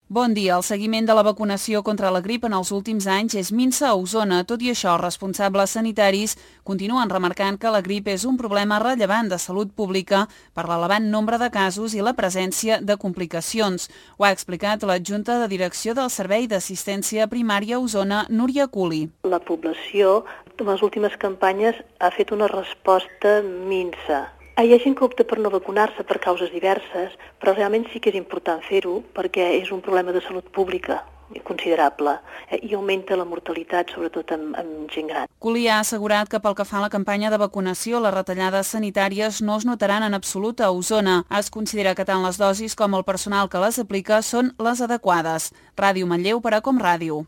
Bon dia. El seguiment de la vacunació contra la grip en els últims anys és minsa a Osona. Tot i això, responsables sanitaris continuen remarcant que la grip és un problema rellevant de salut pública per l'elevat nombre de casos i la presència de complicacions. Ho ha explicat l'adjunta de direcció del Servei d'Assistència Primària a Osona, Núria Culi. La població, en les últimes campanyes, ha fet una resposta minsa. Hi ha gent que opta per no vacunar-se per causes diverses, però realment sí que és important fer-ho perquè és un problema de salut pública considerable i augmenta la mortalitat, sobretot amb gent gran. Culi ha assegurat que pel que fa a la campanya de vacunació, les retallades sanitàries no es notaran en absolut a Osona. Es considera que tant les dosis com el personal que les aplica són les adequades. Ràdio Manlleu per a Com Ràdio.